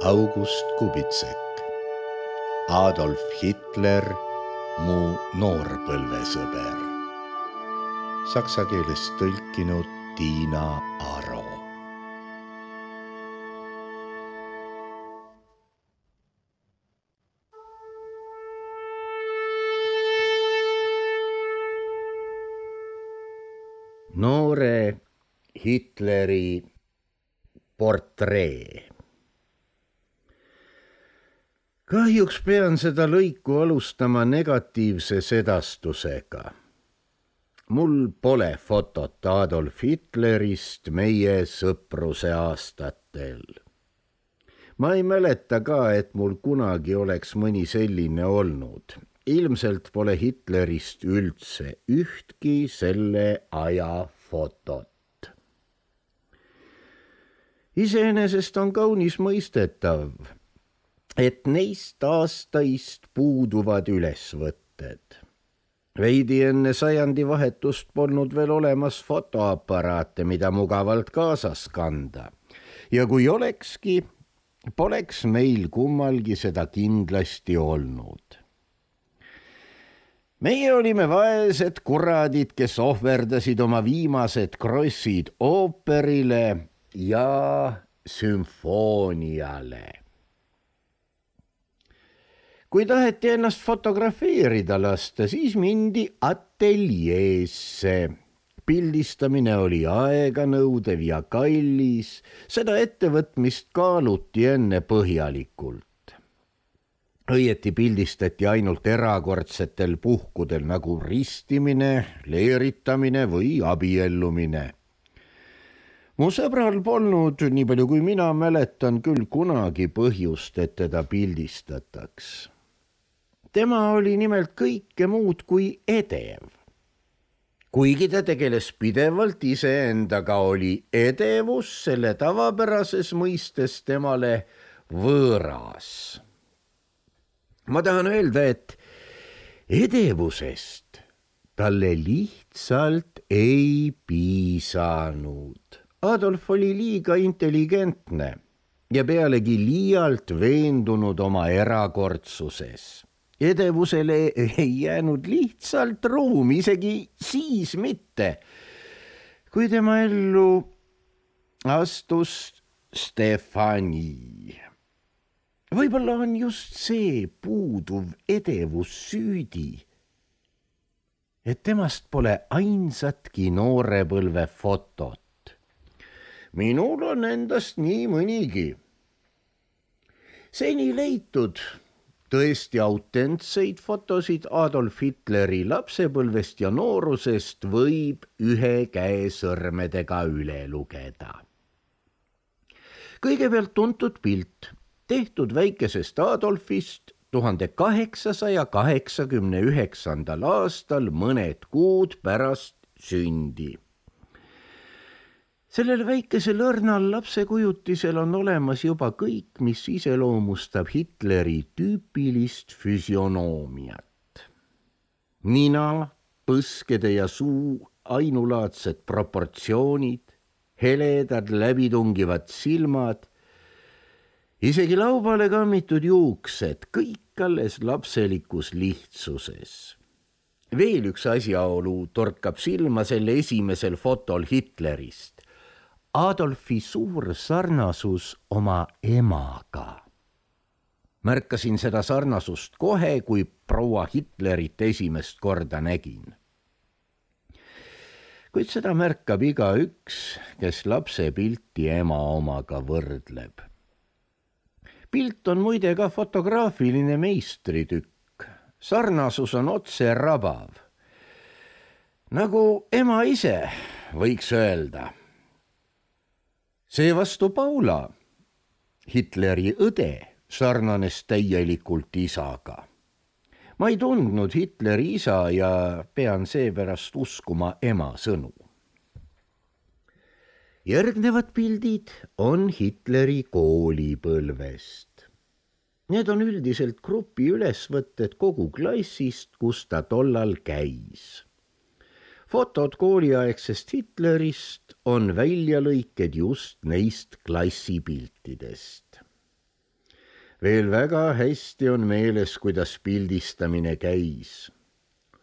August Kubitsek. Adolf Hitler, mu noorpõlvesõber. Saksa keelest tõlkinud Tiina Aro. Noore Hitleri portree. Kahjuks pean seda lõiku alustama negatiivse sedastusega. Mul pole fotot Adolf Hitlerist meie sõpruse aastatel. Ma ei mäleta ka, et mul kunagi oleks mõni selline olnud. Ilmselt pole Hitlerist üldse ühtki selle aja fotot. Iseenesest on kaunis mõistetav, et neist aastaist puuduvad ülesvõtted. Veidi enne sajandivahetust polnud veel olemas fotoaparaate, mida mugavalt kaasas kanda. Ja kui olekski, poleks meil kummalgi seda kindlasti olnud. Meie olime vaesed kuradid, kes ohverdasid oma viimased krossid ooperile ja sümfooniale. Kui taheti ennast fotografeerida lasta, siis mindi ateljeesse. Pildistamine oli aeganõudev ja kallis, seda ettevõtmist kaaluti enne põhjalikult. Õieti pildistati ainult erakordsetel puhkudel nagu ristimine, leeritamine või abiellumine. Mu sõbral polnud, nii palju kui mina mäletan, küll kunagi põhjust, et teda pildistataks. Tema oli nimelt kõike muud kui edev. Kuigi ta tegeles pidevalt iseendaga, oli edevus selle tavapärases mõistes temale võõras. Ma tahan öelda, et edevusest talle lihtsalt ei piisanud. Adolf oli liiga intelligentne ja pealegi liialt veendunud oma erakordsuses. Edevusele ei jäänud lihtsalt ruumi, isegi siis mitte, kui tema ellu astus Stefani. Võib-olla on just see puuduv edevus süüdi, et temast pole ainsatki noorepõlve fotot. Minul on endast nii mõnigi. Seni leitud tõesti autentseid fotosid Adolf Hitleri lapsepõlvest ja noorusest võib ühe käe sõrmedega üle lugeda. Kõigepealt tuntud pilt, tehtud väikesest Adolfist 1889. aastal mõned kuud pärast sündi. Sellel väikesel õrnal lapsekujutisel on olemas juba kõik, mis iseloomustab Hitleri tüüpilist füsionoomiat. Nina, põskede ja suu ainulaadsed proportsioonid, heledad läbitungivad silmad, isegi laubale kammitud juuksed, kõik alles lapselikus lihtsuses. Veel üks asjaolu torkab silma selle esimesel fotol Hitlerist. Adolfi suur sarnasus oma emaga. Märkasin seda sarnasust kohe, kui proua Hitlerit esimest korda nägin. Kuid seda märkab igaüks, kes lapse pilti ema omaga võrdleb. Pilt on muide ka fotograafiline meistritükk. Sarnasus on otse rabav. Nagu ema ise, võiks öelda. Seevastu Paula, Hitleri õde, sarnanes täielikult isaga. Ma ei tundnud Hitleri isa ja pean seepärast uskuma ema sõnu. Järgnevad pildid on Hitleri koolipõlvest. Need on üldiselt grupi ülesvõtted kogu klassist, kus ta tollal käis. Fotod kooliaegsest Hitlerist on väljalõiked just neist klassipiltidest. Veel väga hästi on meeles, kuidas pildistamine käis.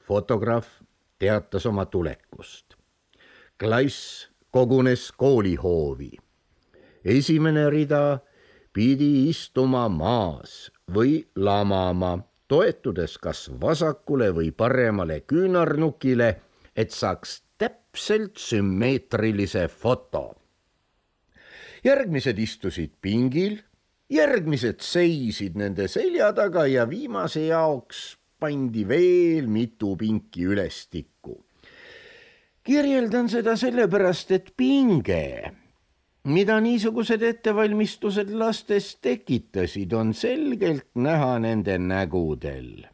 Fotograaf teatas oma tulekust. Klass kogunes koolihoovi. Esimene rida pidi istuma maas või lamama, toetudes kas vasakule või paremale küünarnukile, et saaks täpselt sümmeetrilise foto. Järgmised istusid pingil, järgmised seisid nende selja taga ja viimase jaoks pandi veel mitu pinki ülestikku. Kirjeldan seda sellepärast, et pinge, mida niisugused ettevalmistused lastes tekitasid, on selgelt näha nende nägudel.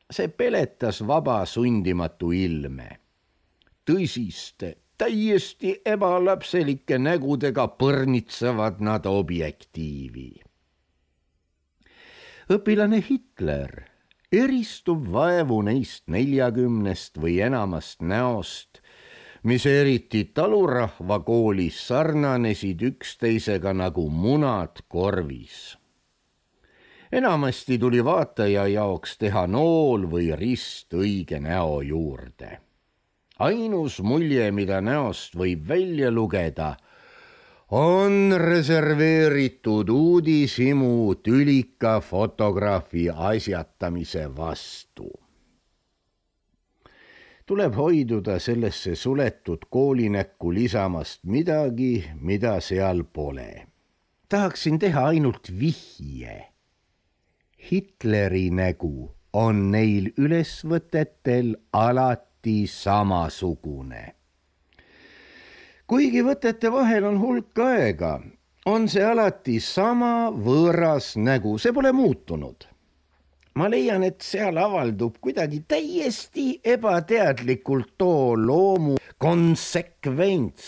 See peletas vaba sundimatu ilme. Tõsiste, täiesti ebalapselike nägudega põrnitsevad nad objektiivi. Õpilane Hitler eristub vaevu neist 40 või enamast näost, mis eriti talurahva koolis sarnanesid üksteisega nagu munad korvis. Enamasti tuli vaataja jaoks teha nool või rist õige näo juurde. Ainus mulje, mida näost võib välja lugeda, on reserveeritud uudishimu tülika fotograafi asjatamise vastu. Tuleb hoiduda sellesse suletud koolinäkku lisamast midagi, mida seal pole. Tahaksin teha ainult vihje. Hitleri nägu on neil ülesvõtetel alati samasugune. Kuigi võtete vahel on hulk aega, on see alati sama võõras nägu, see pole muutunud. Ma leian, et seal avaldub kuidagi täiesti ebateadlikult too loomu konsekvents,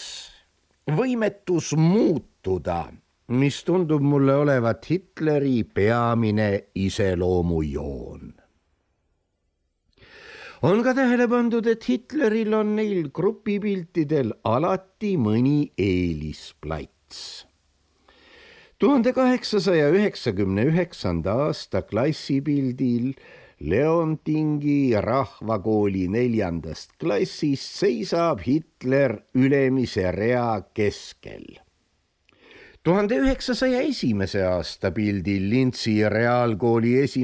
võimetus muutuda, mis tundub mulle olevat Hitleri peamine iseloomujoon. On ka tähele pandud, et Hitleril on neil grupipiltidel alati mõni eelisplats. 1899. aasta klassipildil Leontingi rahvakooli 4. klassist seisab Hitler ülemise rea keskel. 1901. aasta pildil Lintsi reaalkooli 1.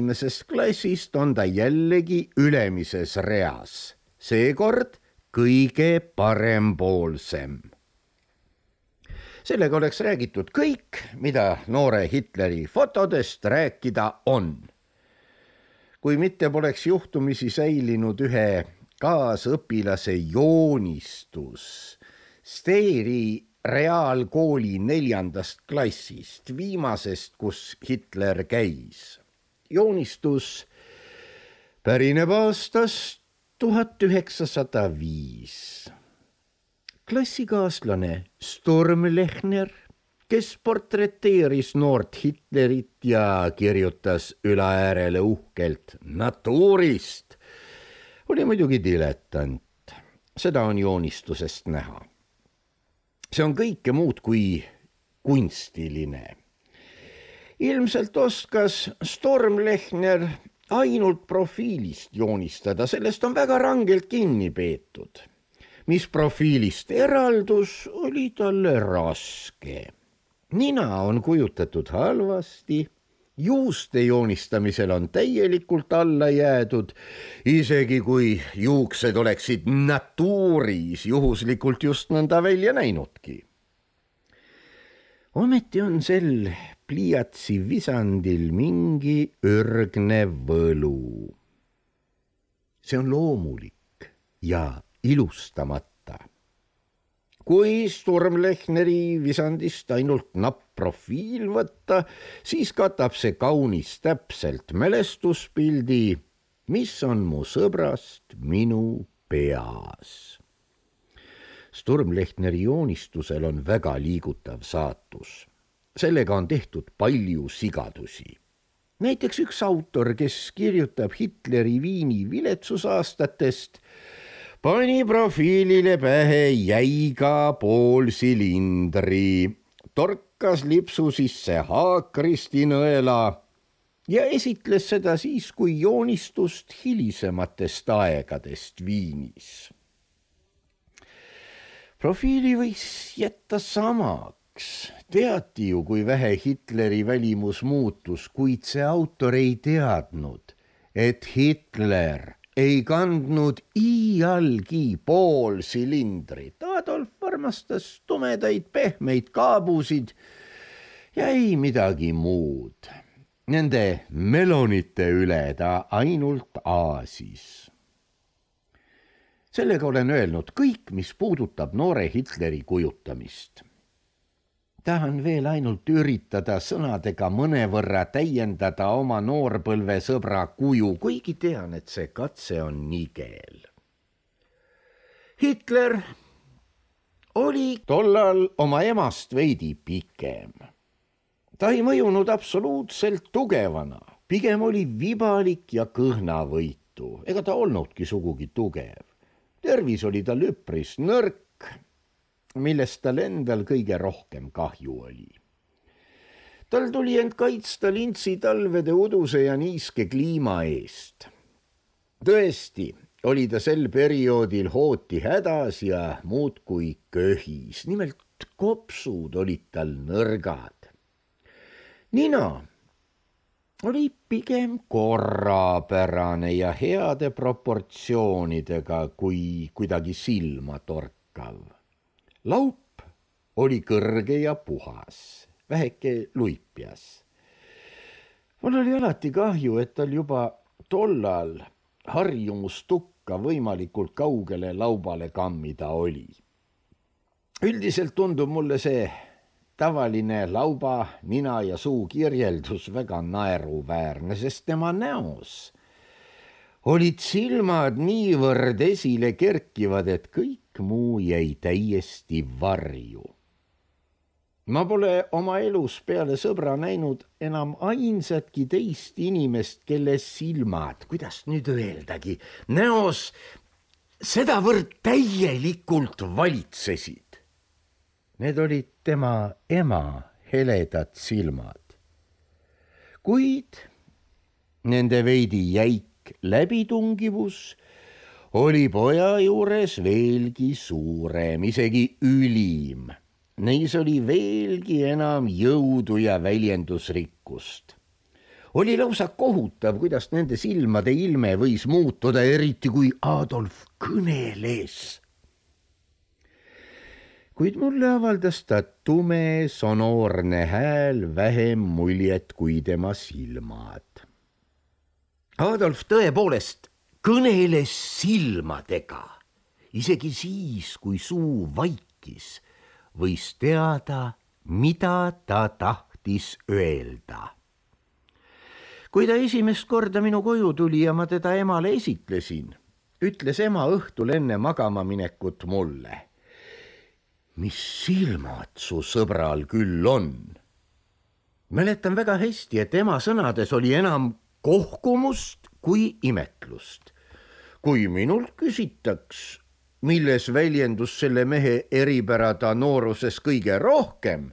klassist on ta jällegi ülemises reas, seekord kõige parempoolsem. Sellega oleks räägitud kõik, mida noore Hitleri fotodest rääkida on. Kui mitte poleks juhtumisi säilinud ühe kaasõpilase joonistus Steeri reaalkooli 4. klassist, viimasest, kus Hitler käis. Joonistus pärineb aastast 1905. Klassikaaslane Sturmlechner, kes portreteeris noort Hitlerit ja kirjutas ülaäärele uhkelt natuurist, oli muidugi dilettant. Seda on joonistusest näha. See on kõike muud kui kunstiline. Ilmselt oskas Sturmlechner ainult profiilist joonistada, sellest on väga rangelt kinni peetud. Mis profiilist eraldus, oli talle raske. Nina on kujutatud halvasti, juuste joonistamisel on täielikult alla jäädud, isegi kui juuksed oleksid natuuris juhuslikult just nõnda välja näinudki. Ometi on sel pliiatsi visandil mingi ürgne võlu. See on loomulik ja ilustamata. Kui Sturmlechneri visandist ainult napp profiil võtta, siis katab see kaunis täpselt mälestuspildi, mis on mu sõbrast minu peas. Sturmlechneri joonistusel on väga liigutav saatus. Sellega on tehtud palju sigadusi. Näiteks üks autor, kes kirjutab Hitleri Viini viletsusaastatest, pani profiilile pähe jäiga poolsilindri, torkas lipsu sisse haakristi nõela ja esitles seda siis kui joonistust hilisematest aegadest Viinis. Profiili võis jätta samaks. Teati ju, kui vähe Hitleri välimus muutus, kuid see autor ei teadnud, et Hitler ei kandnud iialgi poolsilindrit. Adolf armastas tumedaid pehmeid kaabusid ja ei midagi muud. Nende melonite üle ta ainult aasis. Sellega olen öelnud kõik, mis puudutab noore Hitleri kujutamist. Tahan veel ainult üritada sõnadega mõnevõrra täiendada oma noorpõlve sõbra kuju, kuigi tean, et see katse on nigel. Hitler oli tollal oma emast veidi pikem. Ta ei mõjunud absoluutselt tugevana, pigem oli vibalik ja kõhnavõitu, ega ta olnudki sugugi tugev. Tervis oli tal üpris nõrk, millest tal endal kõige rohkem kahju oli. Tal tuli end kaitsta lintsi talvede uduse ja niiske kliima eest. Tõesti, oli ta sel perioodil hooti hädas ja muudkui köhis, nimelt kopsud olid tal nõrgad. Nina oli pigem korrapärane ja heade proportsioonidega kui kuidagi silma torkav. Laup oli kõrge ja puhas, väheke luipjas. Mul oli alati kahju, et tal juba tollal harjumustukka võimalikult kaugele laubale kammida oli. Üldiselt tundub mulle see tavaline lauba, nina ja suu kirjeldus väga naeruväärne, sest tema näos olid silmad niivõrd esile kerkivad, et kõik muu jäi täiesti varju. Ma pole oma elus peale sõbra näinud enam ainsatki teist inimest, kelle silmad, kuidas nüüd öeldagi, näos sedavõrd täielikult valitsesid. Need olid tema ema heledad silmad. Kuid nende veidi jäik läbitungivus oli poja juures veelgi suurem, isegi ülim. Neis oli veelgi enam jõudu ja väljendusrikkust. Oli lausa kohutav, kuidas nende silmade ilme võis muutuda, eriti kui Adolf kõneles. Kuid mulle avaldas ta tume, sonoorne hääl vähem muljet kui tema silmad. Adolf tõepoolest kõneles silmadega, isegi siis, kui suu vaikis, võis teada, mida ta tahtis öelda. Kui ta esimest korda minu koju tuli ja ma teda emale esitlesin, ütles ema õhtul enne magama minekut mulle. Mis silmad su sõbral küll on? Mäletan väga hästi, et ema sõnades oli enam kohkumust kui imetlust. Kui minult küsitaks, milles väljendus selle mehe eripärada nooruses kõige rohkem,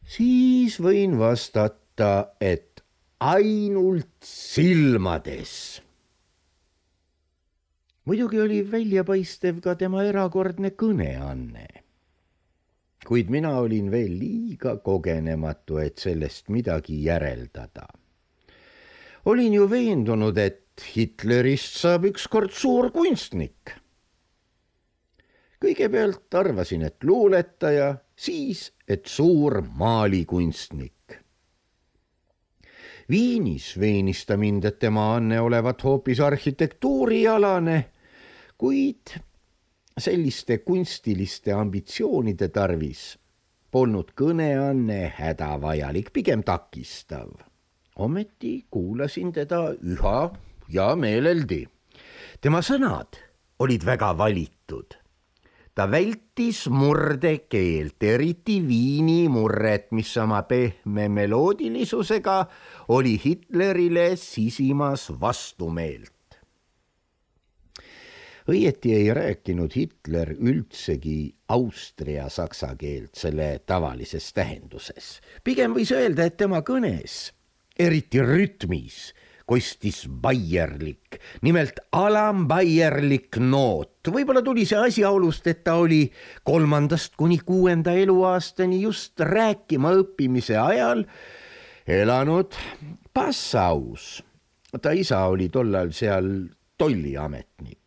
siis võin vastata, et ainult silmades. Muidugi oli väljapaistev ka tema erakordne kõneanne. Kuid mina olin veel liiga kogenematu, et sellest midagi järeldada. Olin ju veendunud, et Hitlerist saab ükskord suur kunstnik. Kõigepealt arvasin, et luuletaja, siis, et suur maalikunstnik. Viinis veenis ta mind, et tema anne olevat hoopis arhitektuurialane, kuid selliste kunstiliste ambitsioonide tarvis polnud kõneanne hädavajalik, pigem takistav. Ometi kuulasin teda üha ja meeleldi. Tema sõnad olid väga valitud. Ta vältis murdekeelt, eriti Viini murret, mis oma pehme meloodilisusega oli Hitlerile sisimas vastumeelt. Õieti ei rääkinud Hitler üldsegi austria-saksa keelt selle tavalises tähenduses. Pigem võis öelda, et tema kõnes, eriti rütmis, kostis baierlik, nimelt alambaierlik noot. Võib-olla tuli see asjaolust, et ta oli 3. kuni 6. eluaastani just rääkima õppimise ajal elanud Passaus. Ta isa oli tollal seal tolliametnik.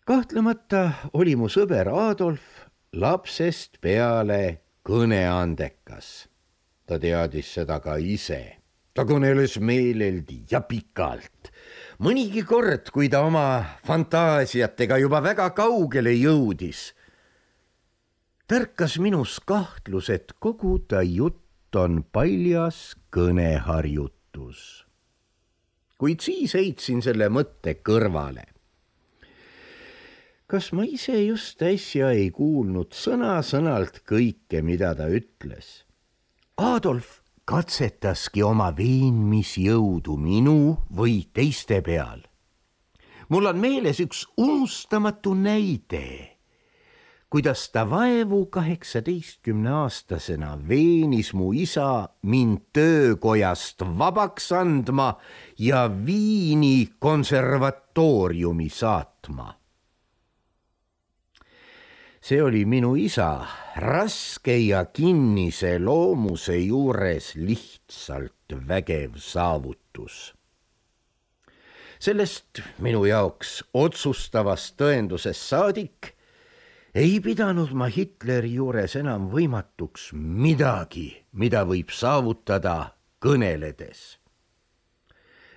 Kahtlemata oli mu sõber Adolf lapsest peale kõneandekas. Ta teadis seda ka ise. Ta kõneles meeleldi ja pikalt. Mõnigi kord, kui ta oma fantaasiatega juba väga kaugele jõudis, tärkas minus kahtlus, et kogu ta jutt on paljas kõneharjutus. Kuid siis heitsin selle mõtte kõrvale. Kas ma ise just äsja ei kuulnud sõna-sõnalt kõike, mida ta ütles? Adolf katsetaski oma veenmisjõudu minu või teiste peal. Mul on meeles üks unustamatu näide, kuidas ta vaevu 18-aastasena veenis mu isa mind töökojast vabaks andma ja Viini konservatooriumi saatma. See oli minu isa raske ja kinnise loomuse juures lihtsalt vägev saavutus. Sellest minu jaoks otsustavast tõendusest saadik ei pidanud ma Hitleri juures enam võimatuks midagi, mida võib saavutada kõneledes.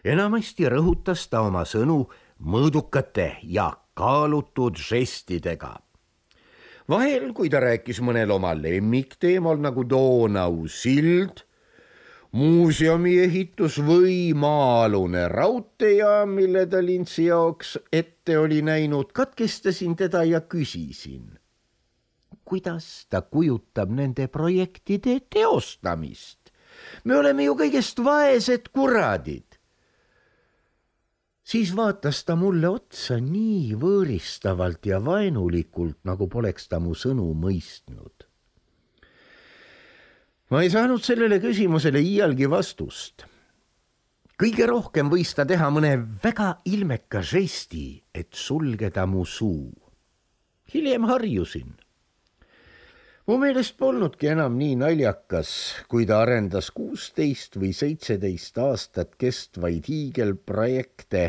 Enamasti rõhutas ta oma sõnu mõõdukate ja kaalutud žestidega. Vahel, kui ta rääkis mõnel oma lemmikteemal nagu Donau sild, muuseumi ehitus või maa-alune raudteejaam, mille ta lintsi jaoks ette oli näinud, katkestasin teda ja küsisin, kuidas ta kujutab nende projektide teostamist. Me oleme ju kõigest vaesed kuradid. Siis vaatas ta mulle otsa nii võõristavalt ja vaenulikult, nagu poleks ta mu sõnu mõistnud. Ma ei saanud sellele küsimusele iialgi vastust. Kõige rohkem võis ta teha mõne väga ilmeka žesti, et sulgeda mu suu. Hiljem harjusin. Mu meelest polnudki enam nii naljakas, kui ta arendas 16 või 17 aastat kestvaid hiigelprojekte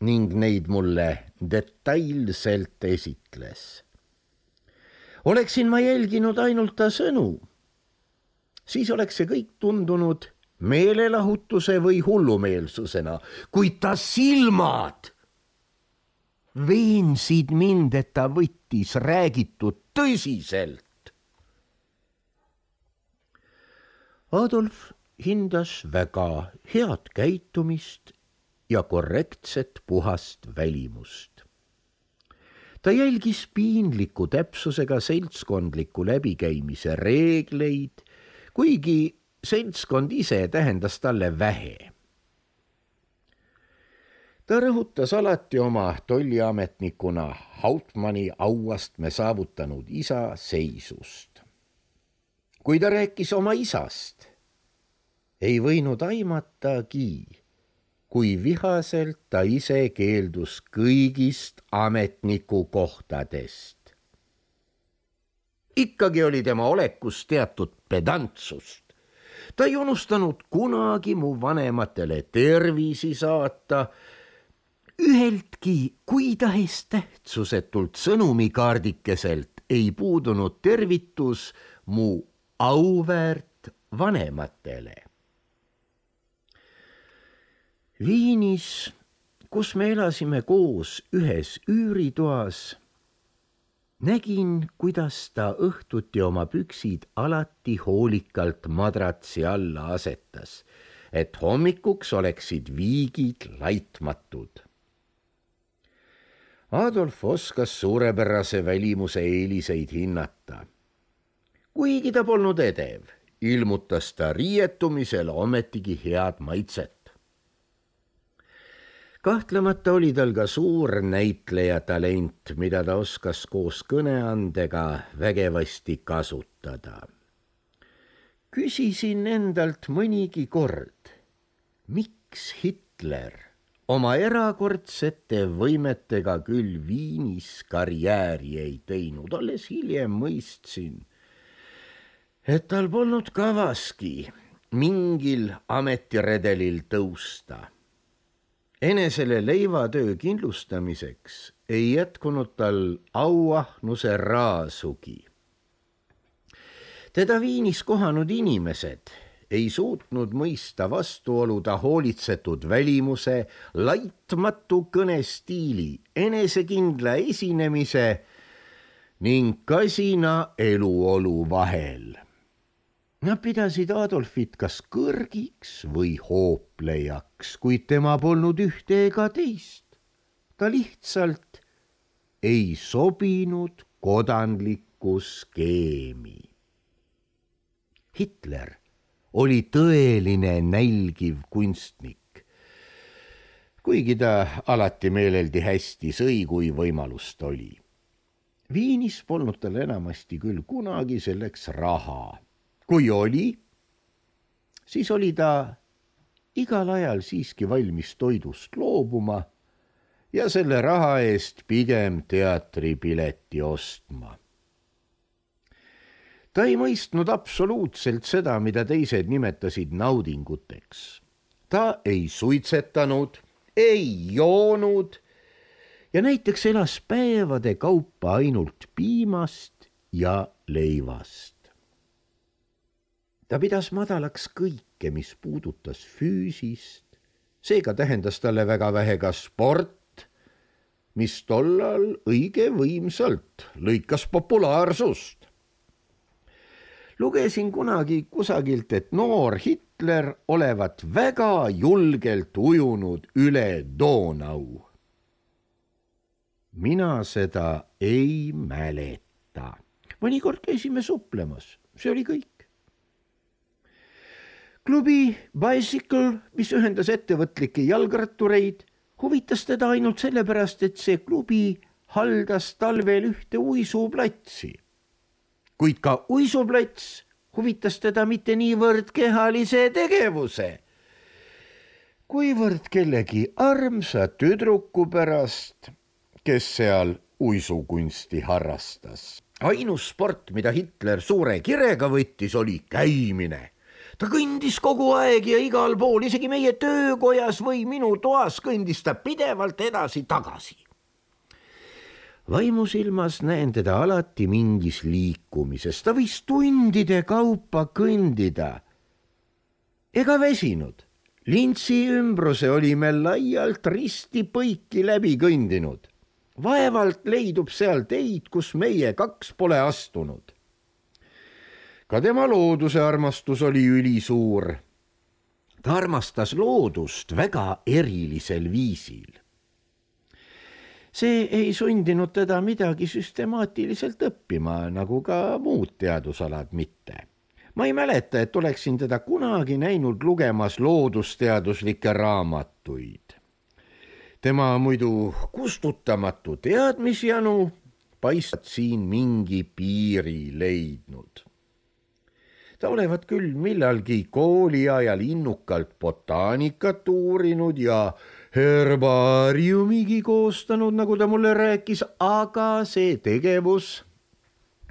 ning neid mulle detailselt esitles. Oleksin ma jälginud ainult ta sõnu, siis oleks see kõik tundunud meelelahutuse või hullumeelsusena, kuid ta silmad veensid mind, et ta võttis räägitud tõsiselt. Adolf hindas väga head käitumist ja korrektset puhast välimust. Ta jälgis piinliku täpsusega seltskondliku läbikäimise reegleid, kuigi seltskond ise tähendas talle vähe. Ta rõhutas alati oma tolliametnikuna Hauptmanni auastme saavutanud isa seisust. Kui ta rääkis oma isast, ei võinud aimatagi, kui vihaselt ta ise keeldus kõigist ametniku kohtadest. Ikkagi oli tema olekus teatud pedantsust. Ta ei unustanud kunagi mu vanematele tervisi saata, üheltki kui tahes tähtsusetult sõnumikaardikeselt ei puudunud tervitus mu auväärt vanematele. Viinis, kus me elasime koos ühes üüritoas, nägin, kuidas ta õhtuti oma püksid alati hoolikalt madratsi alla asetas, et hommikuks oleksid viigid laitmatud. Adolf oskas suurepärase välimuse eeliseid hinnata. Kuigi ta polnud edev, ilmutas ta riietumisel ometigi head maitset. Kahtlemata oli tal ka suur näitleja talent, mida ta oskas koos kõneandega vägevasti kasutada. Küsisin endalt mõnigi kord, miks Hitler oma erakordsete võimetega küll Viinis karjääri ei teinud. Alles hiljem mõistsin, et tal polnud kavaski mingil ametiredelil tõusta. Enesele leivatöö kindlustamiseks ei jätkunud tal auahnuse raasugi. Teda Viinis kohanud inimesed ei suutnud mõista vastuolu ta hoolitsetud välimuse, laitmatu kõnestiili, enesekindla esinemise ning kasina eluolu vahel. Nad pidasid Adolfit kas kõrgiks või hooplejaks, kuid tema polnud ühte ega teist. Ta lihtsalt ei sobinud kodanlikku skeemi. Hitler oli tõeline nälgiv kunstnik, kuigi ta alati meeleldi hästi sõi, kui võimalust oli. Viinis polnud tal enamasti küll kunagi selleks raha. Kui oli, siis oli ta igal ajal siiski valmis toidust loobuma ja selle raha eest pigem teatripileti ostma. Ta ei mõistnud absoluutselt seda, mida teised nimetasid naudinguteks. Ta ei suitsetanud, ei joonud ja näiteks elas päevade kaupa ainult piimast ja leivast. Ta pidas madalaks kõike, mis puudutas füüsist, seega tähendas talle väga vähe ka sport, mis tollal õige võimsalt lõikas populaarsust. Lugesin kunagi kusagilt, et noor Hitler olevat väga julgelt ujunud üle Donau. Mina seda ei mäleta. Mõnikord käisime suplemas, see oli kõik. Klubi Bicycle, mis ühendas ettevõtlikke jalgrattureid, huvitas teda ainult sellepärast, et see klubi haldas talvel ühte uisuplatsi. Kuid ka uisuplats huvitas teda mitte niivõrd kehalise tegevuse, kuivõrd kellegi armsa tüdruku pärast, kes seal uisukunsti harrastas. Ainus sport, mida Hitler suure kirega võttis, oli käimine. Ta kõndis kogu aeg ja igal pool, isegi meie töökojas või minu toas kõndis ta pidevalt edasi-tagasi. Vaimusilmas näen teda alati mingis liikumises, ta võis tundide kaupa kõndida. Ega väsinud, lintsi ümbruse olime laialt risti põiki läbi kõndinud. Vaevalt leidub seal teid, kus meie kaks pole astunud. Ka tema looduse armastus oli ülisuur. Ta armastas loodust väga erilisel viisil. See ei sundinud teda midagi süstemaatiliselt õppima, nagu ka muud teadusalad mitte. Ma ei mäleta, et oleksin teda kunagi näinud lugemas loodusteaduslikke raamatuid. Tema muidu kustutamatu teadmisjanu paistab siin mingi piiri leidnud. Ta olevat küll millalgi kooli ajal innukalt botaanikat uurinud ja herbaariumigi koostanud, nagu ta mulle rääkis, aga see tegevus,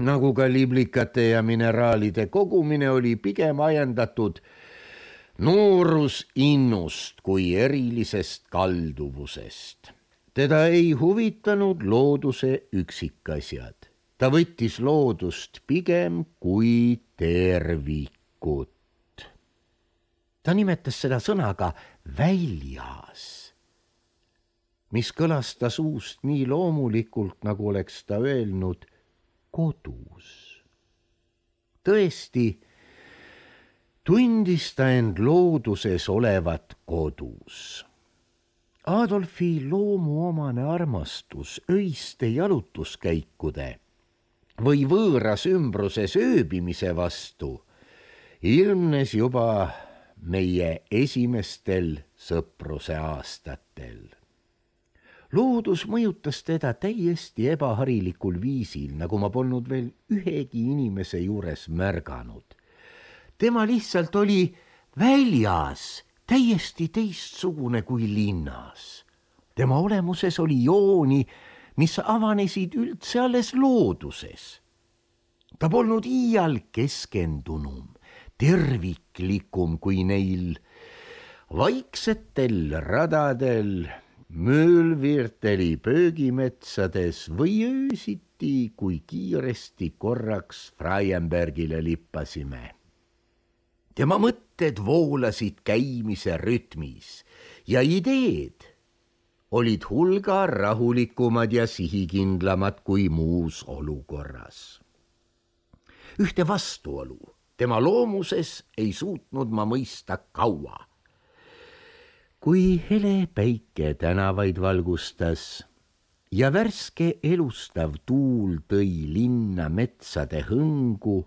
nagu ka liblikate ja mineraalide kogumine, oli pigem ajendatud noorusinnust kui erilisest kalduvusest. Teda ei huvitanud looduse üksikasjad. Ta võttis loodust pigem kui tervikut. Ta nimetas seda sõnaga väljas, mis kõlas ta suust nii loomulikult, nagu oleks ta öelnud kodus. Tõesti, tundis ta end looduses olevat kodus. Adolfi loomuomane armastus öiste jalutuskäikude või võõras ümbruses ööbimise vastu ilmnes juba meie esimestel sõpruse aastatel. loodus mõjutas teda täiesti ebaharilikul viisil, nagu ma polnud veel ühegi inimese juures märganud. Tema lihtsalt oli väljas, täiesti teistsugune kui linnas. Tema olemuses oli jooni, mis avanesid üldse alles looduses. Ta polnud iial keskendunum, terviklikum kui neil vaiksetel radadel, möölvirteli pöögimetsades või öösiti, kui kiiresti korraks Freienbergile lippasime. Tema mõtted voolasid käimise rütmis ja ideed olid hulga rahulikumad ja sihikindlamad kui muus olukorras. Ühte vastuolu tema loomuses ei suutnud ma mõista kaua. Kui hele päike tänavaid valgustas ja värske elustav tuul tõi linna metsade hõngu,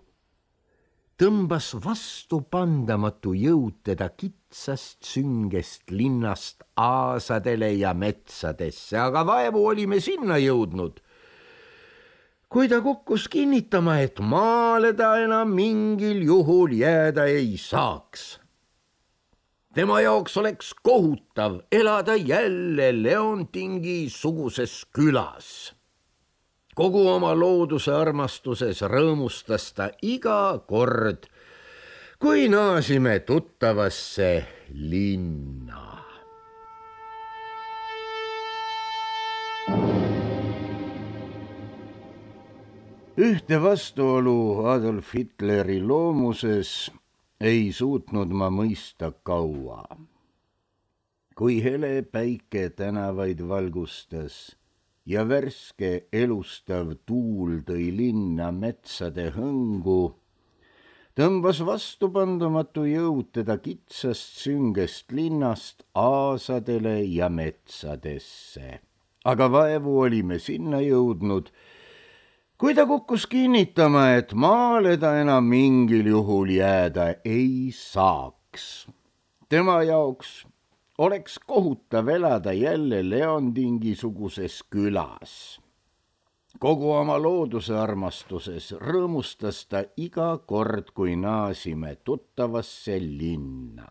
tõmbas vastupandamatu jõud teda kitsast süngest linnast aasadele ja metsadesse, aga vaevu olime sinna jõudnud, kui ta kukkus kinnitama, et maale ta enam mingil juhul jääda ei saaks. Tema jaoks oleks kohutav elada jälle Leontingi suguses külas. Kogu oma looduse armastuses rõõmustas ta iga kord, kui naasime tuttavasse linna. Ühte vastuolu Adolf Hitleri loomuses ei suutnud ma mõista kaua. Kui hele päike tänavaid valgustas ja värske elustav tuul tõi linna metsade hõngu, tõmbas vastupandamatu jõud teda kitsast süngest linnast aasadele ja metsadesse. Aga vaevu olime sinna jõudnud, kui ta kukkus kinnitama, et maale ta enam mingil juhul jääda ei saaks. Tema jaoks oleks kohutav elada jälle Leontingi-suguses külas. Kogu oma looduse armastuses rõõmustas ta iga kord, kui naasime tuttavasse linna.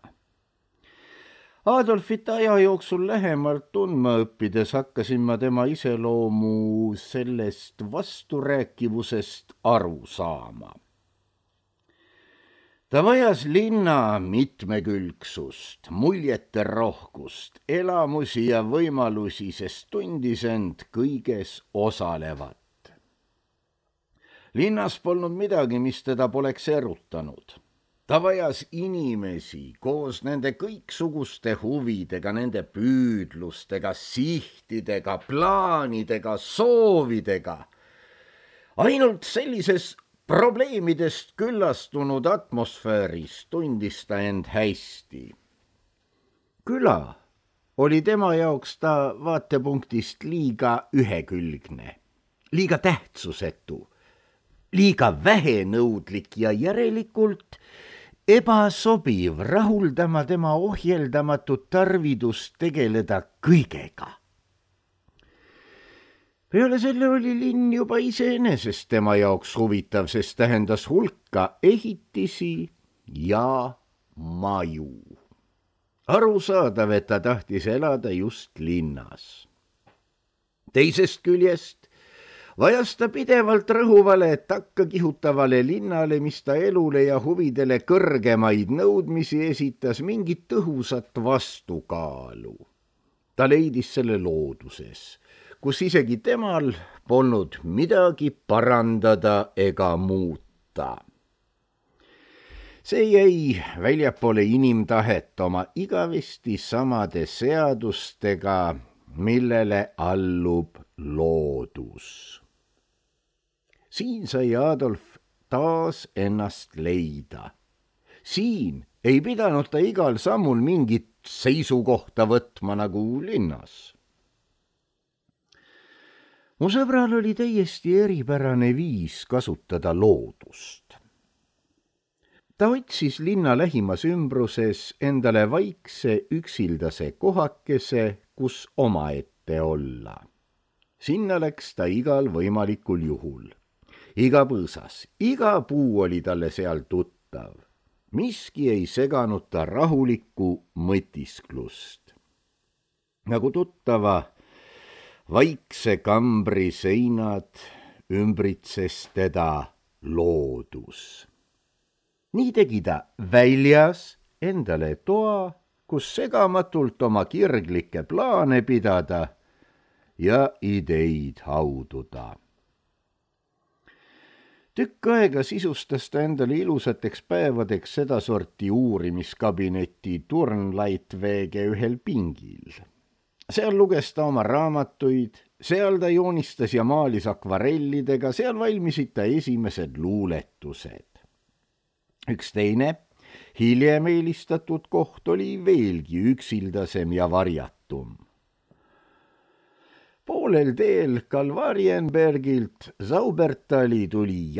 Adolfit aja jooksul lähemalt tundma õppides hakkasin ma tema iseloomu sellest vasturääkivusest aru saama. Ta vajas linna mitmekülgsust, muljete rohkust, elamusi ja võimalusi, sest tundis end kõiges osalevat. Linnas polnud midagi, mis teda poleks erutanud. Ta vajas inimesi koos nende kõiksuguste huvidega, nende püüdlustega, sihtidega, plaanidega, soovidega. Ainult sellises probleemidest küllastunud atmosfääris tundis ta end hästi. Küla oli tema jaoks ta vaatepunktist liiga ühekülgne, liiga tähtsusetu, liiga vähenõudlik ja järelikult ebasobiv rahuldama tema ohjeldamatut tarvidust tegeleda kõigega. Peale selle oli linn juba iseenesest tema jaoks huvitav, sest tähendas hulka ehitisi ja maju. Arusaadav, et ta tahtis elada just linnas. Teisest küljest vajas ta pidevalt rõhuvale takkakihutavale linnale, mis ta elule ja huvidele kõrgemaid nõudmisi esitas, mingit tõhusat vastukaalu. Ta leidis selle looduses, kus isegi temal polnud midagi parandada ega muuta. See jäi väljapoole inimtahet oma igavesti samade seadustega, millele allub loodus. Siin sai Adolf taas ennast leida. Siin ei pidanud ta igal sammul mingit seisukohta võtma nagu linnas. Mu sõbral oli täiesti eripärane viis kasutada loodust. Ta otsis linna lähimas ümbruses endale vaikse üksildase kohakese, kus omaette kätte olla. Sinna läks ta igal võimalikul juhul. Iga põõsas, iga puu oli talle seal tuttav. Miski ei seganud ta rahulikku mõtisklust. Nagu tuttava vaikse kambri seinad ümbritses teda loodus. Nii tegi ta väljas endale toa, kus segamatult oma kirglikke plaane pidada ja ideid haududa. Tükk aega sisustas ta endale ilusateks päevadeks sedasorti uurimiskabineti Turnleitväge ühel pingil. Seal luges ta oma raamatuid, seal ta joonistas ja maalis akvarellidega, seal valmisid ta esimesed luuletused. Üks teine, hiljem eelistatud koht oli veelgi üksildasem ja varjatum. Poolel teel Kalvarienbergilt Zaubertali tuli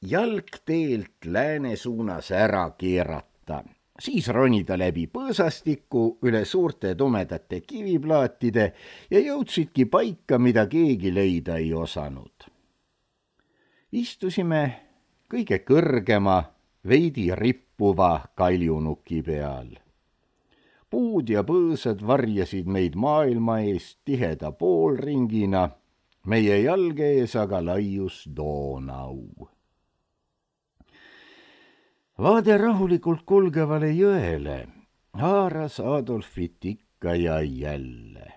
jalgteelt lääne suunas ära keerata. Siis ronida läbi põõsastiku üle suurte tumedate kiviplaatide ja jõudsidki paika, mida keegi leida ei osanud. Istusime kõige kõrgema, veidi rippuva kaljunuki peal. Puud ja põõsad varjasid meid maailma eest tiheda poolringina, meie jalge ees aga laius Donau. Vaade rahulikult kulgevale jõele haaras Adolfit ikka ja jälle.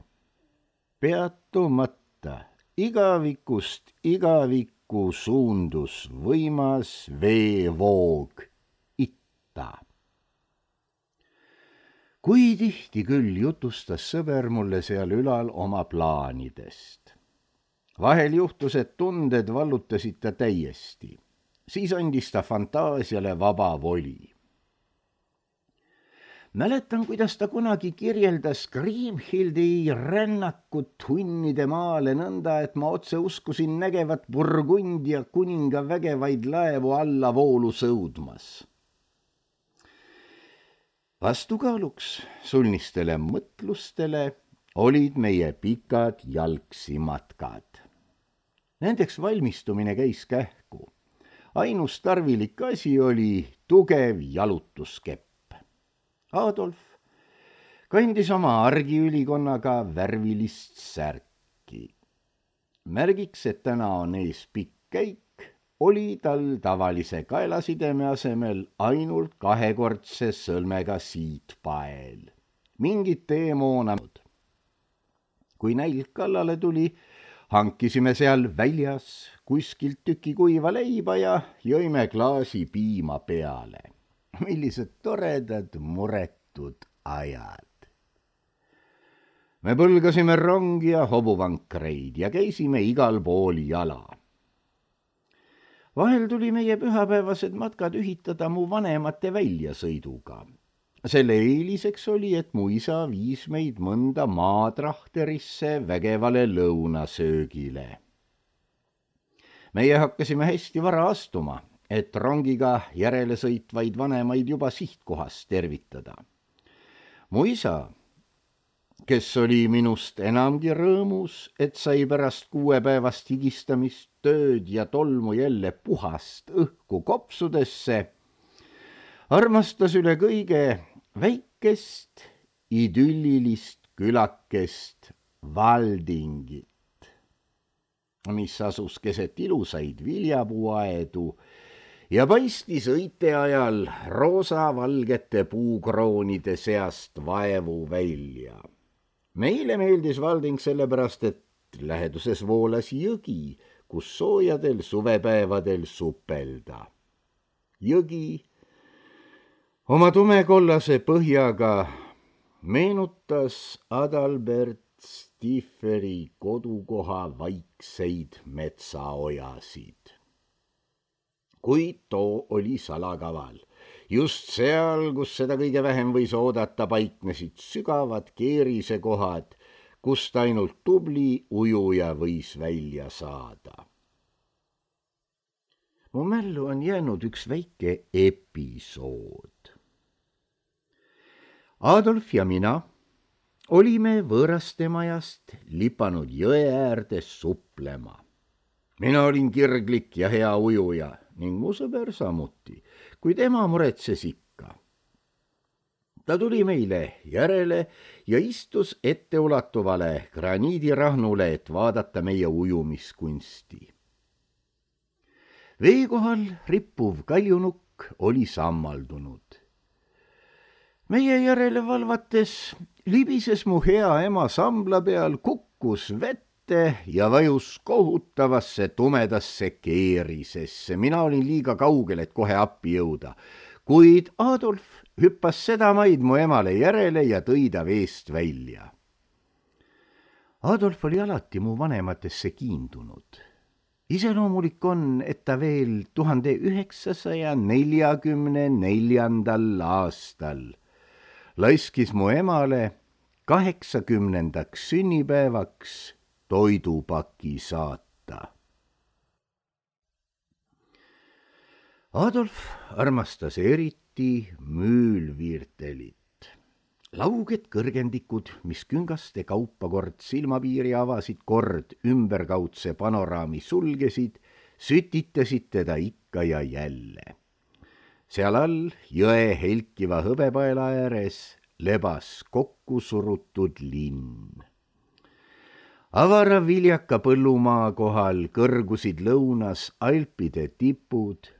Peatumata igavikust igavikku suundus võimas veevoog itta. Kui tihti küll jutustas sõber mulle seal ülal oma plaanidest. Vahel juhtus, et tunded vallutasid ta täiesti. Siis andis ta fantaasiale vaba voli. Mäletan, kuidas ta kunagi kirjeldas Kriemhildi rännakut hunnide maale nõnda, et ma otse uskusin nägevat Burgundia kuninga vägevaid laevu alla voolu sõudmas. Vastukaaluks sulnistele mõtlustele olid meie pikad jalgsimatkad. Nendeks valmistumine käis kähku. Ainus tarvilik asi oli tugev jalutuskepp. Adolf kandis oma argiülikonnaga värvilist särki. Märgiks, et täna on ees pikk käik, oli tal tavalise kaelasideme asemel ainult kahekordse sõlmega siitpael. Mingit teemoonanud. Kui nälg kallale tuli, hankisime seal väljas kuskilt tüki kuiva leiba ja jõime klaasi piima peale. Millised toredad muretud ajad. Me põlgasime rongi ja hobuvankreid ja käisime igal pool jala. Vahel tuli meie pühapäevased matkad ühitada mu vanemate väljasõiduga. Selle eeliseks oli, et mu isa viis meid mõnda maatrahterisse vägevale lõunasöögile. Meie hakkasime hästi vara astuma, et rongiga järele sõitvaid vanemaid juba sihtkohas tervitada. Mu isa, kes oli minust enamgi rõõmus, et sai pärast 6 päevast higistamist, tööd ja tolmu jälle puhast õhku kopsudesse, armastas üle kõige väikest idüllilist külakest Valdingit, mis asus keset ilusaid viljapuuaedu ja paistis õite ajal roosa-valgete puukroonide seast vaevu välja. Meile meeldis Valding sellepärast, et läheduses voolas jõgi, kus soojadel suvepäevadel supelda. Jõgi oma tumekollase põhjaga meenutas Adalbert Stieferi kodukoha vaikseid metsaojasid. Kuid too oli salakaval. Just seal, kus seda kõige vähem võis oodata, paiknesid sügavad keerisekohad, kust ainult tubli ujuja võis välja saada. Mu mällu on jäänud üks väike episood. Adolf ja mina olime võõraste majast lipanud jõe äärde suplema. Mina olin kirglik ja hea ujuja ning mu sõber samuti, kuid ema muretses ikka. Ta tuli meile järele ja istus etteulatuvale graniidirahnule, et vaadata meie ujumiskunsti. Vee kohal rippuv kaljunukk oli sammaldunud. Meie järele valvates libises mu hea ema sambla peal, kukkus vette ja vajus kohutavasse tumedasse keerisesse. Mina olin liiga kaugel, et kohe appi jõuda, kuid Adolf hüppas sedamaid mu emale järele ja tõi ta veest välja. Adolf oli alati mu vanematesse kiindunud. Iseloomulik on, et ta veel 1944. aastal laiskis mu emale 80. sünnipäevaks toidupaki saata. Adolf armastas eriti müülviirtelit. Lauged kõrgendikud, mis küngaste kaupa kord silmapiiri avasid, kord ümberkaudse panoraami sulgesid, sütitasid teda ikka ja jälle. Seal all jõe helkiva hõbepaela ääres lebas kokku surutud linn. Avara viljaka põllumaa kohal kõrgusid lõunas Alpide tipud.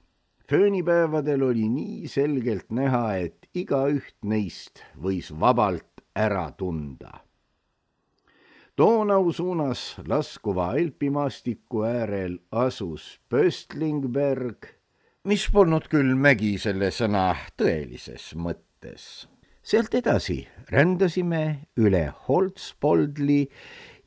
Föönipäevadel oli nii selgelt näha, et igaüht neist võis vabalt ära tunda. Donau suunas laskuva alpimaastiku äärel asus Pöstlingberg, mis polnud küll mägi selle sõna tõelises mõttes. Sealt edasi rändasime üle Holzpoldli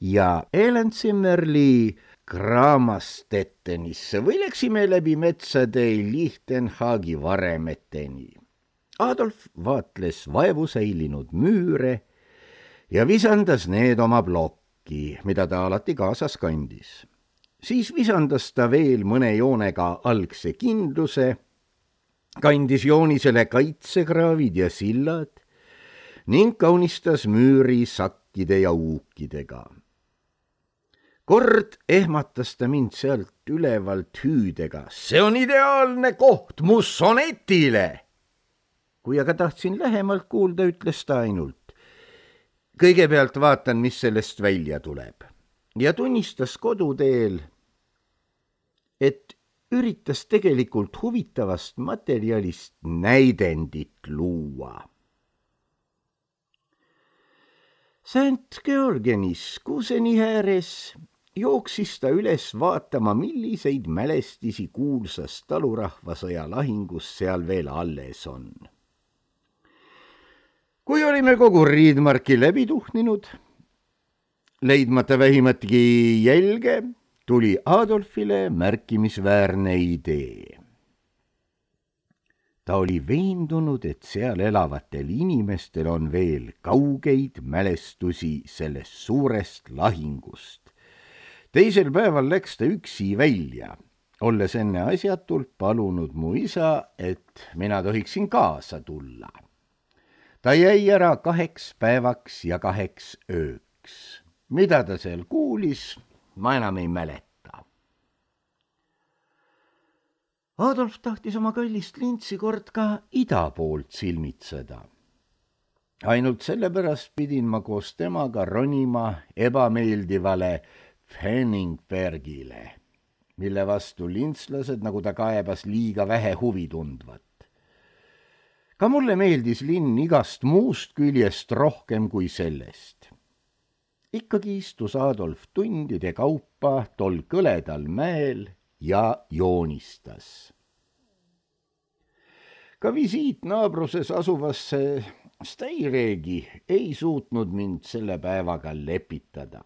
ja Elenzimmerli Kramastettenisse või läksime läbi metsade Lichtenhagi varemeteni. Adolf vaatles vaevu säilinud müüre ja visandas need oma plokki, mida ta alati kaasas kandis. Siis visandas ta veel mõne joonega algse kindluse, kandis joonisele kaitsekraavid ja sillad ning kaunistas müüri sakkide ja uukidega. Kord ehmatas ta mind sealt ülevalt hüüdega: "See on ideaalne koht mu sonetile!" Kui aga tahtsin lähemalt kuulda, ütles ta ainult: "Kõigepealt vaatan, mis sellest välja tuleb." Ja tunnistas koduteel, et üritas tegelikult huvitavast materjalist näidendit luua. St Georgenis kuuseni ääres jooksis ta üles vaatama, milliseid mälestisi kuulsast talurahvasõja lahingust seal veel alles on. Kui olime kogu Riidmarki läbi tuhninud, leidmata vähimatki jälge, tuli Adolfile märkimisväärne idee. Ta oli veendunud, et seal elavatel inimestel on veel kaugeid mälestusi sellest suurest lahingust. Teisel päeval läks ta üksi välja, olles enne asjatult palunud mu isa, et mina tohiksin kaasa tulla. Ta jäi ära 2 päevaks ja 2 ööks. Mida ta seal kuulis, ma enam ei mäleta. Adolf tahtis oma kallist lintsi kord ka ida poolt silmitseda. Ainult sellepärast pidin ma koos temaga ronima ebameeldivale Fenningbergile, mille vastu lintslased, nagu ta kaebas, liiga vähe huvi tundvat. Ka mulle meeldis linn igast muust küljest rohkem kui sellest. Ikkagi istus Adolf tundide kaupa tol kõledal mäel ja joonistas. Ka visiit naabruses asuvasse Steiregi ei suutnud mind selle päevaga lepitada.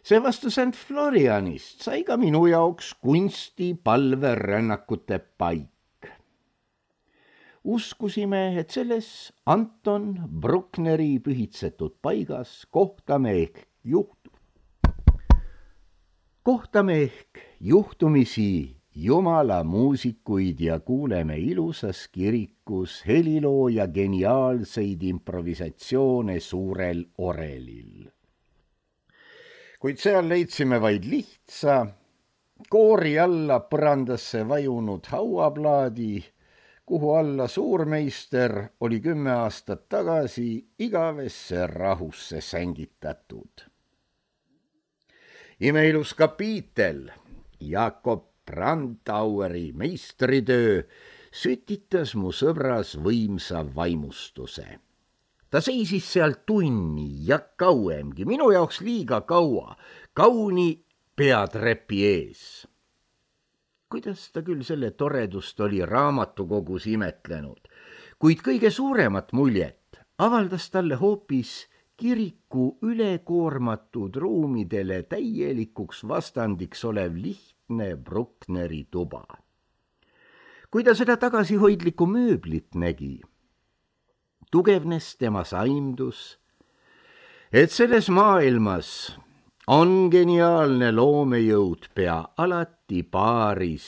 Seevastu St Florianist sai ka minu jaoks kunstipalverännakute paik. Uskusime, et selles Anton Bruckneri pühitsetud paigas kohtame ehk juhtumisi Jumala muusikuid ja kuuleme ilusas kirikus helilooja geniaalseid improvisatsioone suurel orelil. Kuid seal leidsime vaid lihtsa, koori alla põrandasse vajunud hauaplaadi, kuhu alla suurmeister oli 10 aastat tagasi igavesse rahusse sängitatud. Imeilus kapiitel, Jakob Brandaueri meistritöö sütitas mu sõbras võimsa vaimustuse. Ta seisis seal tunni ja kauemgi, minu jaoks liiga kaua, kauni peatrepi ees. Kuidas ta küll selle toredust oli raamatukogus imetlenud, kuid kõige suuremat muljet avaldas talle hoopis kiriku ülekoormatud ruumidele täielikuks vastandiks olev lihtne Bruckneri tuba. Kui ta seda tagasihoidlikku mööblit nägi, tugevnes tema saimdus, et selles maailmas on geniaalne loomejõud pea alati paaris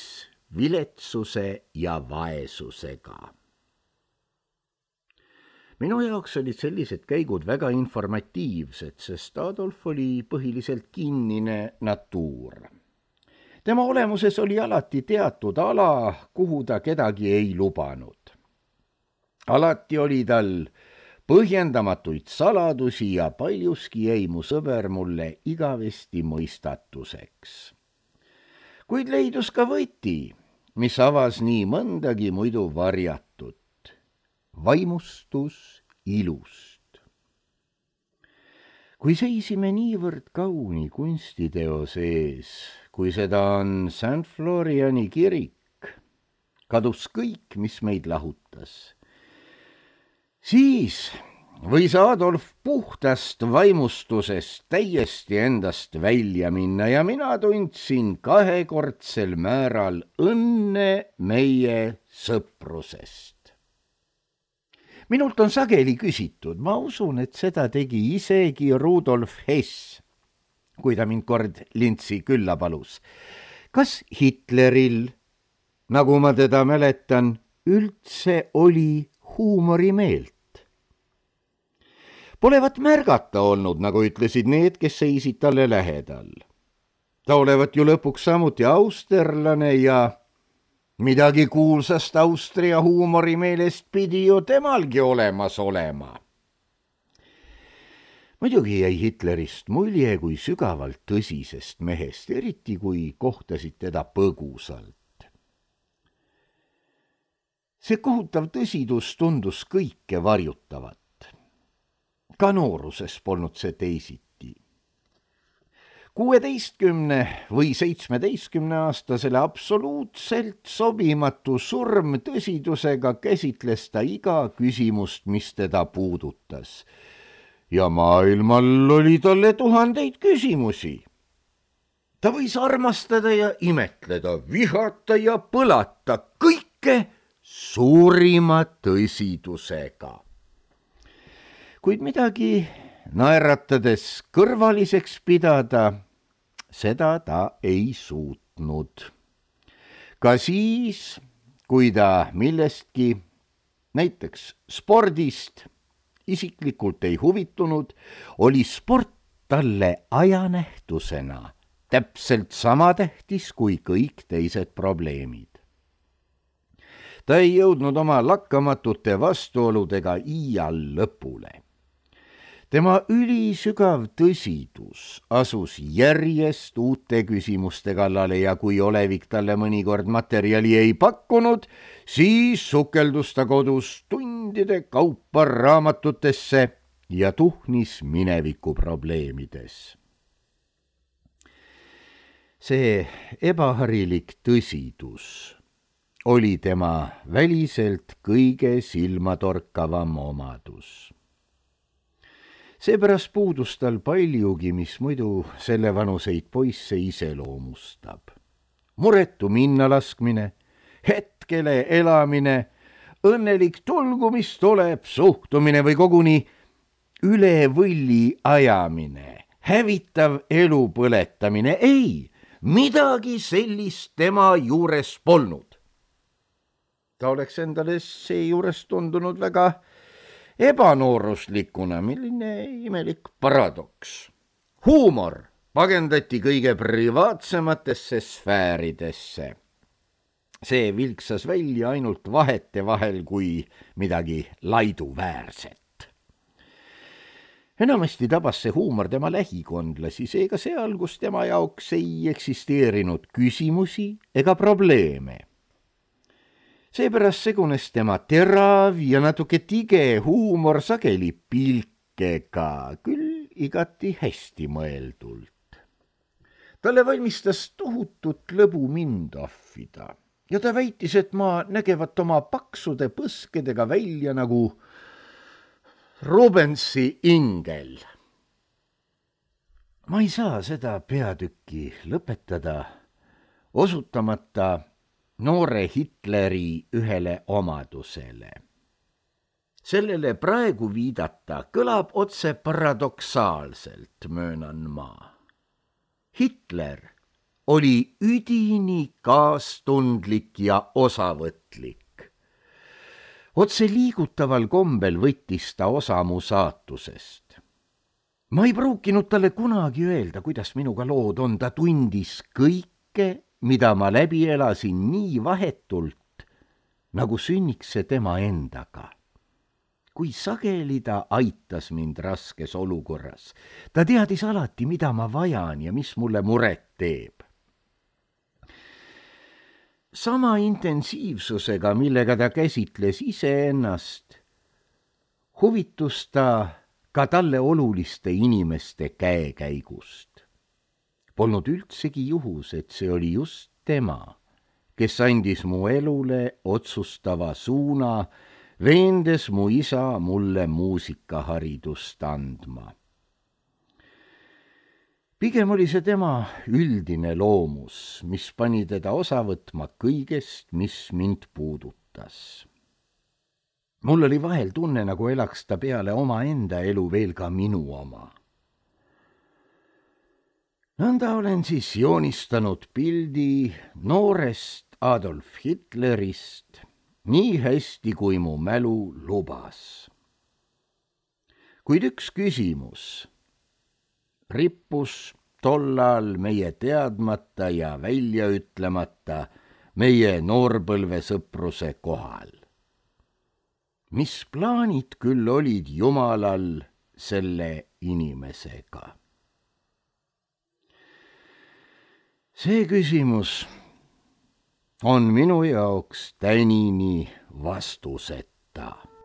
viletsuse ja vaesusega. Minu jaoks olid sellised käigud väga informatiivsed, sest Adolf oli põhiliselt kinnine natuur. Tema olemuses oli alati teatud ala, kuhu ta kedagi ei lubanud. Alati oli tal põhjendamatuid saladusi ja paljuski jäi mu sõber mulle igavesti mõistatuseks. Kuid leidus ka võti, mis avas nii mõndagi muidu varjatud. Vaimustus ilust. Kui seisime niivõrd kauni kunstiteo sees, kui seda on St. Floriani kirik, kadus kõik, mis meid lahutas. Siis võis Adolf puhtast vaimustusest täiesti endast välja minna ja mina tundsin kahekordsel määral õnne meie sõprusest. Minult on sageli küsitud, ma usun, et seda tegi isegi Rudolf Hess, kui ta mind kord lintsi külla palus. Kas Hitleril, nagu ma teda mäletan, üldse oli huumorimeelt? Polevat märgata olnud, nagu ütlesid need, kes seisid talle lähedal. Ta olevat ju lõpuks samuti austerlane ja midagi kuulsast Austria huumorimeelest pidi ju temalgi olemas olema. Muidugi jäi Hitlerist mulje kui sügavalt tõsisest mehest, eriti kui kohtasid teda põgusalt. See kohutav tõsidus tundus kõike varjutavat. Ka nooruses polnud see teisiti. 16 või 17-aastasele absoluutselt sobimatu surmtõsidusega käsitles ta iga küsimust, mis teda puudutas. Ja maailmal oli talle 1000 küsimusi. Ta võis armastada ja imetleda, vihata ja põlata, kõike suurima tõsidusega. Kuid midagi naeratades kõrvaliseks pidada, seda ta ei suutnud. Ka siis, kui ta millestki, näiteks spordist, isiklikult ei huvitunud, oli sport talle ajanähtusena täpselt sama tähtis kui kõik teised probleemid. Ta ei jõudnud oma lakkamatute vastuoludega iial lõpule. Tema ülisügav tõsidus asus järjest uute küsimuste kallale ja kui olevik talle mõnikord materjali ei pakkunud, siis sukeldus ta kodus tundide kaupa raamatutesse ja tuhnis mineviku probleemides. See ebaharilik tõsidus oli tema väliselt kõige silmatorkavam omadus. Seepärast puudus tal paljugi, mis muidu selle vanuseid poisse iseloomustab. Muretu minnalaskmine, hetkele elamine, õnnelik tulgu, mis tuleb, suhtumine või koguni üle võlli ajamine, hävitav elu põletamine. Ei, midagi sellist tema juures polnud. ta oleks endale seejuures tundunud väga ebanooruslikuna, milline imelik paradoks. huumor pagendati kõige privaatsematesse sfääridesse. see vilksas välja ainult vahetevahel kui midagi laiduväärset. enamasti tabas see huumor tema lähikondlasi, seega seal, kus tema jaoks ei eksisteerinud küsimusi ega probleeme. seepärast segunes tema terav ja natuke tige huumor sageli pilkega, küll igati hästi mõeldult. talle valmistas tohutut lõbu mind ahvida ja ta väitis, et ma nägevat oma paksude põskedega välja nagu Rubensi ingel. ma ei saa seda peatükki lõpetada, osutamata noore Hitleri ühele omadusele. sellele praegu viidata kõlab otse paradoksaalselt, möönan ma. Hitler oli üdini kaastundlik ja osavõtlik. otse liigutaval kombel võttis ta osa mu saatusest. ma ei pruukinud talle kunagi öelda, kuidas minuga lood on, ta tundis kõike, mida ma läbi elasin nii vahetult, nagu sünniks see tema endaga. kui sageli ta aitas mind raskes olukorras, ta teadis alati, mida ma vajan ja mis mulle muret teeb. sama intensiivsusega, millega ta käsitles iseennast, huvitus ta ka talle oluliste inimeste käekäigust. Polnud üldsegi juhus, et see oli just tema, kes andis mu elule otsustava suuna, veendes mu isa mulle muusikaharidust andma. pigem oli see tema üldine loomus, mis pani teda osa võtma kõigest, mis mind puudutas. mul oli vahel tunne, nagu elaks ta peale omaenda elu veel ka minu oma. nõnda olen siis joonistanud pildi noorest Adolf Hitlerist nii hästi, kui mu mälu lubas. kuid üks küsimus rippus tollal meie teadmata ja välja ütlemata meie noorpõlve sõpruse kohal. mis plaanid küll olid Jumalal selle inimesega? see küsimus on minu jaoks tänini vastuseta.